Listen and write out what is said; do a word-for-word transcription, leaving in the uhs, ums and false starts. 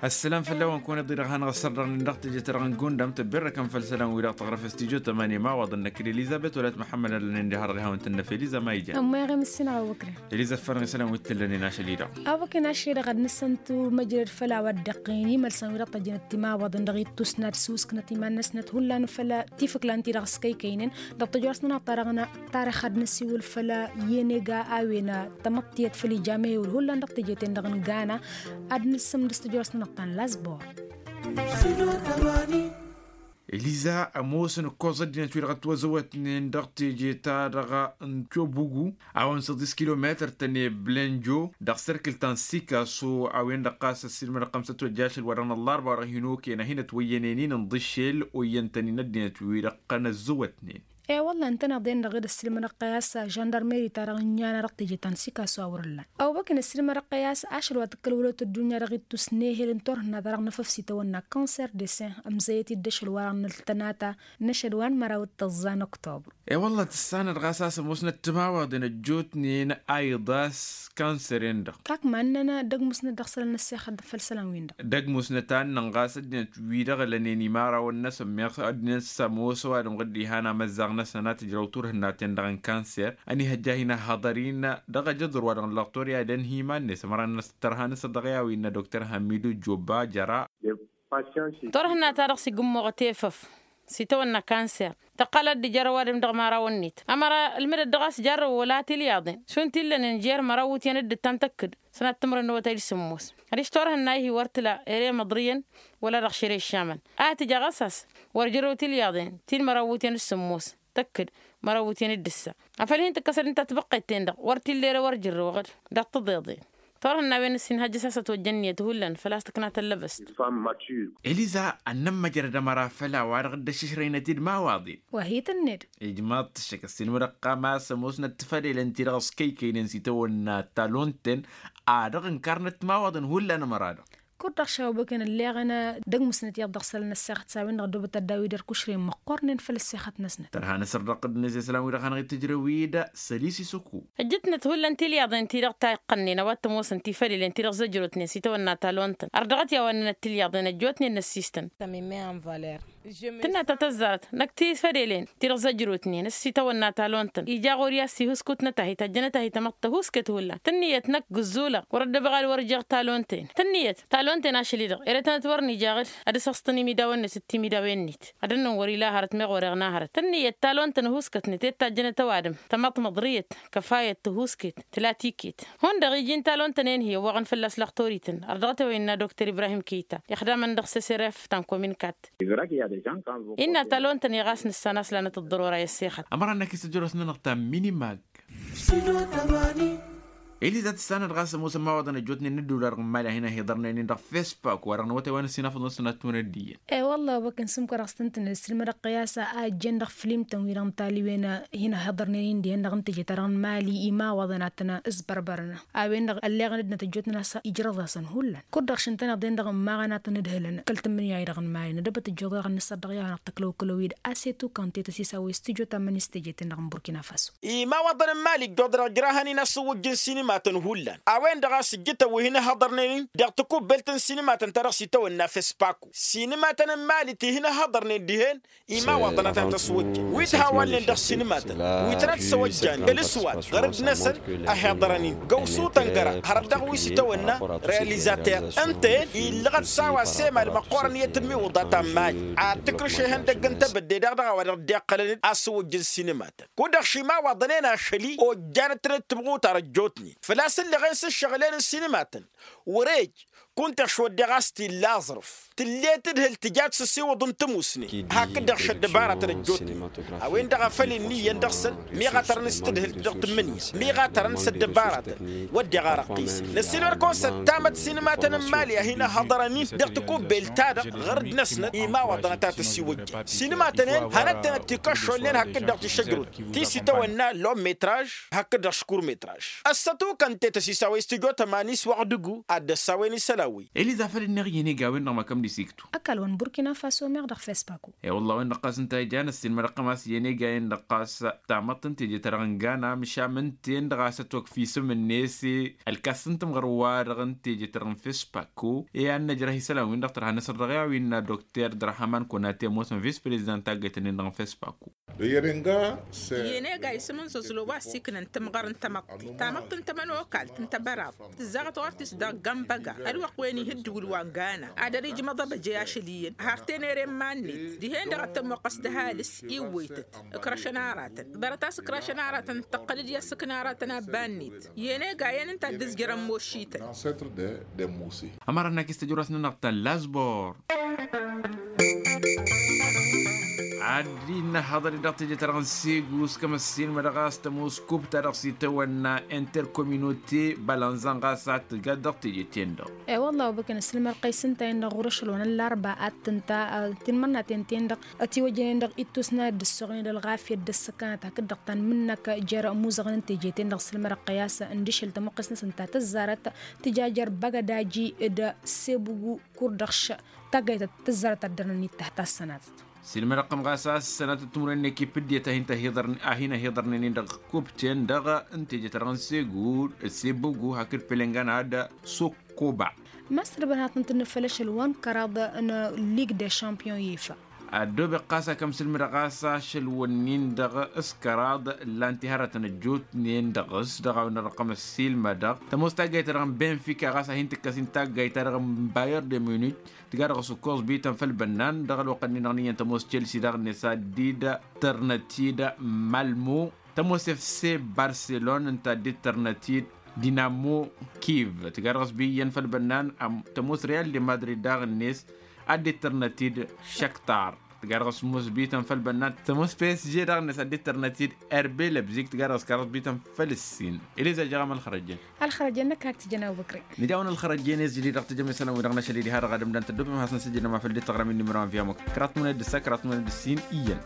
Ăssălam făll-a-wen kăwăn-iḍǝy dăɣ-hanăɣ-ăssărrăɣ-nin dăɣ-teje-ta-dăɣ n-gundam tăbberrăkăn făll-isălan-wi-dăɣ tăɣrăf stujo tămani ma waḍăn năkk d-elizăbet wăla t-măḥămmăd ad-lănen diha dăɣ-ihawăn tǝnnăf elizăbet ma ijan. Ămma iɣem ǝssin a-wa ǝkren. Elizăbet făll-isălan wi t-tǝllănen ašăl-i-dăɣ. A-wa kăyăn ašăl-i-dăɣ ad-nǝssăn-t măjrăd făll-a-wa dd-iqqăyăn imălsăn-wi-dăɣ tăjjănăt timawaḍăn dăɣ-ittus n-ad-sǝwǝsknăt iman-năsnăt hullan făll-a tifǝklan-ti-dăɣ s-kăykăynen. Dăɣ-tăjrăs-nănăɣ ta-dăɣ n-tarix ad-nǝsiwǝl făll-yenega a-wen tamăḍtiyăt făll-ija mehewǝl hullan dăɣ-teje-ten-dăɣ n-gana. Ad-nǝssǝmdǝs tăjrăs-nănăɣ ta n-lasbor. Eliza ămoosăn ǝkkoẓ ăddinăt-wi-dăɣ ătwăzăwătnen dăɣ-teje-ta-dăɣ n-cobugu a-wa n-săḍis kilometăr-tăn i-blenjo dăɣ-sărkǝl ta n-sikaso a-wen-dăɣ ɣas ăssiilmădăɣ xămsăt wăjja ašăl wa dăɣ-năllarba wa dăɣ-hin-okăyăn ad-hin-ătwăyyănen-in ǝnḍǝššel oyyăn-tăn-in ăddinăt-wi-dăɣ ăqqăn ăzzăwătnen. E-wălla ǝntăneḍ-en-dăɣ dd-ăssiilmădăɣ-tăy a-s žăndarmeri-ta-dăɣ n-iyyăn a dăɣ-teje ta n-sikaso a wăr-ǝllan. Ăwbăkăn ăssiilmădăɣ-tăy a-s ašăl wa tǝkkăl wăla otăddunya dăɣ-ittus n-ehel n-turhǝnna ta dăɣ-năfăf s-itawănna cancer de sen ămzăyăt-dd ašăl wa dăɣ-năltănata n-ašăl wa n-măraw d-tăẓẓa n-oktobru. E-wălla tǝssanăt ɣas a-s ămoosnăt timawaḍen ăjjootnen a iḍas cancer-en-dăɣ. Kak ma ǝnnăn dăgg-musnăt dăɣ-isălan n-ăssexăt făll-isălan-win-dăɣ. Dăgg-musnăt a ǝnnăn ɣas ăddinăt wi-dăɣ ălănen imărawăn-năsăn meɣ ăddinăt s-ămoos ăwadǝm ɣǝdd ihan amăzzaɣ-năsăn a tǝjrăw turhǝnna-ten-dăɣ n-cancer ănihăjja hin-ăhhăḍăr-in dăɣ-ajăḍur wa dăɣ-n lăɣtor i-ad-ănhimannăs ămăra-năsăn tărha-năsăn dăɣ-i a-wa innă dokter hamidu jobba jăra. Turhǝnna-ta-dăɣ s-igǝmmoɣăt efăf s-itawănna cancer tăqqal ad-dd-ijărrăw adǝm dăɣ-imărawăn-net ămăra ǝlmǝdăt dăɣ-a-s jarrăwăn wăla tilyaḍen šund t-illănen jer-măraw iwǝtyan d-ǝttan tăkk-dd sănat timǝrwen n-awătay d-sǝmmos adiš turhǝnna-hi wăr tǝla ere măḍrǝyăn wăla dăɣ-šere ǝššamăn a tǝja ɣas a-s wăr jărrăw tilyaḍen ti n-măraw iwǝtyan d-sǝmmos tăkk-dd măraw iwǝtyan d-ǝssa afăl hin-tǝkkăsăd ǝnta tibăqqet-ten-dăɣ wăr t-illa ere wăr jărrăwăɣ-dd dăɣ-tiḍeḍen. Turhǝnna a-wen ǝssin hajjăs a-s ătwăjja ǝnniyăt hullan făl-a-s tǝkna tăllăbăst. Eliza ad-nămmăjrăd ămăra făll-a-wa-dăɣ dd-ăššǝšrăynăt-dd imawaḍen. Wa hi-tǝnned. Ijmaḍ-t ǝššăk ăssiilmădăɣ-t a-s ămoosnăt tifălelen-ti-dăɣ s-kăykăynen s-itawănna talon-tăn a dăɣ-ǝnkarnăt timawaḍen hullan ămăra-dăɣ. Kud-dăɣ šawăbăkăn ǝlleɣăn dăgg-musnăt iyyăḍ dăɣ-isălan n-ăssexăt s-a-wen-dăɣ ăddoobăt ad-dd-awǝy d-ărkušren măqqoornen făll-ăssexăt-năsnăt. Tărha n-asărdăɣ-t d-inǝzăy isălan-wi-dăɣ hanăɣ-itǝjrăw-dd săli s-isǝkku. Ǝjjǝtnăt hullan tilyaḍen-ti-dăɣ ta iqqănnen a-wa t-ămoosăn tifălelen-ti-dăɣ zăjrotnen s-itawănna talon-tăn ărdăɣăt i-a-wa ǝnnănăt tilyaḍen ăjjootnen n-ăssiistăn. Tǝnna ta tăzzarăt năkk tifălelen ti-dăɣ zăjrotnen s-itawănna talon-tăn ija ɣur-i a-s ihǝskut n-ătahit ăjjăn ătahit tamăḍt tăhuusket hullan tǝnniyăt năkk gǝzzulăɣ wăr-ăddăbăɣ ad-wăr-ǝjjeɣ talon-ten tǝnniyăt talon-ten ašăl-i-dăɣ ere tănăt wăr n-ijaɣ-dd ad-ăsăsṭăn imidawen-net d-timidawen-net ad-ănnăn wăr-ila hărăt meɣ wăr-iɣna hărăt tǝnniyăt talon-tăn ăhuuskătnet i-tajjănăt ăwadǝm tamăḍt măḍriyăt kăfayăt tăhuusket tǝla tiket hundăɣ iji n-talon-tăn-en hi-ăwwăɣăn fălla-s lăxtor-itǝn ărdăɣăt a-wa innă dokter ibrahim keyta ixdamăn dăɣ-seseref ta n-kominkat. Innă talon-tăn i-ɣas nǝssan a-s lanăt ăḍḍărora i-ăssexăt. Ămăra-năk isǝjrăs-nănăɣ ta n-minimag. Eliza tǝssanăt ɣas ămoosăn imawaḍăn ăjjootnen n-ăddular n-imali a hin-ăhiḍărnen-in dăɣ-fespak wa-dăɣ n-awătay wa n-ăssinafăḍ n-sănat n-wăr-ăddiyăn. E-wălla a-wa kănsa ǝmkăraɣ s-tăn-tǝnnǝl ǝssilmădăɣ-tăy a-s a ǝjjăn dăɣ-filim-tăn-wi-dăɣ n-taliwen hin-ăhiḍărnen-in dihen-dăɣ n-teje-ta-dăɣ n-imali imawaḍăn ad-tăn-ǝzbărbărăn a-wen-dăɣ ălleɣăn ăddinăt ăjjootnen a-s ijrăẓ-asăn hullan kud-dăɣ šintăneḍ-en-dăɣ ǝmmaɣăn ad-tăn-ǝdhǝlăn kăl-tǝmmǝnǝya-i-dăɣ n-imali nădăbăt ǝjjuḍ-i-dăɣ ănnăsăr dăɣ-i-a-wa-dăɣ tăklăw kălăw-dd asetu kante tăsisawăy s-tǝjot ammăn-i s-teje-ten-dăɣ n-burkina faso. Imawaḍăn n-imali ǝjjuḍ-dăɣ ǝjrahăn-in asǝwwǝjj n-sinimatăn hullan a-wen-dăɣ a-s ǝjjǝtăn wi hin-ǝhhăḍărnen-in dăɣ-tǝkubbelt n-sinimatăn ta dăɣ-s itawănna fespaku sinimatăn n-imali ti hin-ǝhhăḍărnen dihen. Imawaḍăn a tan-tăswăjjăn wi t-hawalnen dăɣ-sinimatăn wi tăn-ad-săwăjjan kăl-ǝswat ɣărăt-năsăn ăhiḍărăn-in găwsu tăngăra hărăt dăɣ-wi s-itawănna realizater ǝnta-en illăɣăt s-a-wa s-emal măqqoorăn i-tǝmmiwǝḍa ta n-mali ad-tǝkrǝš ihăndăgg n-tebădde daɣ dăɣ-a-wa dăɣ-dd-iqqălăn asǝwwǝjj n-sinimatăn kud-dăɣ šimawăḍăn-en ašăl-i ojjanăt-tăn d-timɣutar ăjjootnen făl-a-s ǝlleɣen s-ǝššăɣǝl-en n-sinimatăn. Wăr-ej kunta ăšwăddeɣ a-s t-illa aẓrǝf tǝllet tǝdhǝlt tǝjat s-ăsiwǝḍ n-tămusne hakd-dăɣ šăddăbarătăn ăjjootnen a-wen-dăɣ a făl inn'-iyyăn dăɣ-săn miɣatărăn s-tǝdhǝlt dăɣ-tǝmmǝnǝya miɣatărăn s-ăddăbaratăn. Wădden ar ăqqisăn năssiilmăd-kăwăn s-ăttamăt sinimatăn n-imali a hin-ăhhăḍărăn-in dăɣ-tikubbelt-ta-dăɣ ɣărăt-năsnăt imawăḍăn a ta tăsiwăjjăn sinimatăn-en hănăttănăt tikăššolnen hakd-dăɣ tišăjrut ti s-itawănna lom metraž hakd-dăɣ škurmetraž. Ăssătukăn tetăs isawăy s-tǝjot ămani s-wăɣ dăggu ad-dd-ăssawen isălan. a-wen. Eliza făl ǝnneɣ iyyăn ega-wen-dăɣ măkăm d-isiktu. Ăkall-wăn burkina faso meɣ dăɣ-fespaku. E-wălla-wen-dăɣ ɣas ǝnta a ijan ăssiinmădăɣ-tăm a-s iyyăn ega-en-dăɣ ɣas tamăḍt n-teje-ta-dăɣ n-gana măšan ǝnta-en-dăɣ a-s ătwăkf isǝm-net. Ălkas n-timɣăr-wa-dăɣ n-teje-ta-dăɣ n-fespaku e-ad-nǝjrăh isălan-win-dăɣ tărha n-asăr dăɣ-i a-wa innă dokter dărhaman kunate ămoosăn vis-prezidant taggayt-nin-dăɣ n-fespaku. Iyyăn ega isǝm n-zăzlo wa ăssiiknăn timɣăr n-tamăḍt tamăḍt n-tamănokalt n-tăbăraḍt tǝzzaɣăt ɣur-t-s dăɣ-gămbăga ălwăqq wen ih' ǝddǝwǝl wa n-gana ad-ăr ijmăḍ abăjăy ašăl iyyăn har tenere n-iman-net dihen-dăɣ ad-tămmoqqăs d-ăhalǝs iwwăytăt. Ǝkrăšăn aratăn ḍarăt a-s ǝkrăšăn aratăn tăqqăl-dd i-ăssǝkna aratăn abba-net. Iyyăn ega iyyăn ǝnta a dd-ǝzjărăn mošităn. Ămărăn akis tăjrăwt-nănăɣ ta n-lazbor. Ad-dd-innă haḍăr-i dăɣ-teje-ta-dăɣ n-segus kămăssin ma dăɣ-a-s tămoos kup-ta-dăɣ s-itawănna interkominote balanzan ɣas ad-tǝjat dăɣ-teje-ten-dăɣ. E-wălla a obăkăn ăssilmăr-kăy s-ǝnta-en-dăɣ ɣur-ašăl wa n-ăllarba ad-tǝnta tinmărnaten-ten-dăɣ ătiwăjjănen dăɣ-ittus n-ad-dd-ǝssoɣnen d-ălɣafyăt d-ăssăkanăt hakd-dăɣ ta n-imǝnnăk jer-imuzăɣăn n-teje-ten-dăɣ ăssilmăr-kăy a-s ǝndǝšǝl tămuqqes-năsăn ta tǝzzarăt tǝja jer-băgădaji d-sebugu kurdăɣš. Taggayt tǝzzarăt ad-dăr-năn ittah tassănatăt. Ăssilmădăɣ-tăm ɣas a-s ăssănatăt timǝrwen n-ekip ǝddiyăt a hin-tăhiḍărnen a hin-ăhiḍărnen-in dăɣ-kup-ten-dăɣ n-teje-ta-dăɣ n-segur d-sebugu hakd pelengana d-sukkuba. Măsrăbăn ad-tăn-tǝnnǝfăl ašăl wa n-kăraḍ n-lig de champion ifa. Ăddoobeɣ ɣas akăm sǝlmǝdăɣ a-s ašăl-wǝnnin-dăɣ s-kăraḍ ǝllan-t i-hărătăn ăjjootnen dăɣ-s dăɣ-a-wen ărrăqqăm ăssiilmădăɣ tămoos taggayt-ta-dăɣ n-benfika ɣas a hin-tǝkkăs-in taggayt-ta-dăɣ n-bayer de munich. Tǝga dăɣ-s ǝkkoẓ bităn făll-bănnan dăɣ-ălwăqq-ǝnnin-dăɣ n-iyyăn tămoos chelsea daɣ-net ad-dd-tărnăt-dd malmo tămoos efse barselon ǝnta ad-dd-tărnăt-dd dinamo kiv. Tǝga dăɣ-s bi iyyăn făll-bănnan tămoos real de madrid daɣ-net ad-dd-tărnăt-dd šăktar. Tǝga dăɣ-s ămoos bităn făll-bănnan tămoos psg daɣ-net ad-dd-tărnăt-dd erbe lebzik tǝga dăɣ-s kăraḍ bităn făll-ǝssin. Eliza jăɣăm ălxărăjjăn. Ălxărăjjăn năkk hak tǝjăn a-wa băkre. Nǝja-wăn ălxărăjjăn i-s jǝli dăɣ-tejăm isălan-wi-dăɣ n-ašăl-i diha-dăɣ ad-ǝmdăn tăddobem ad-hasăn-sǝjǝdăm afăl dd-tăɣrăm-in nimăra wa n-viyamuk kăraḍ tmăned d-ǝssa kăraḍ tmăned d-ǝssin iyyăn.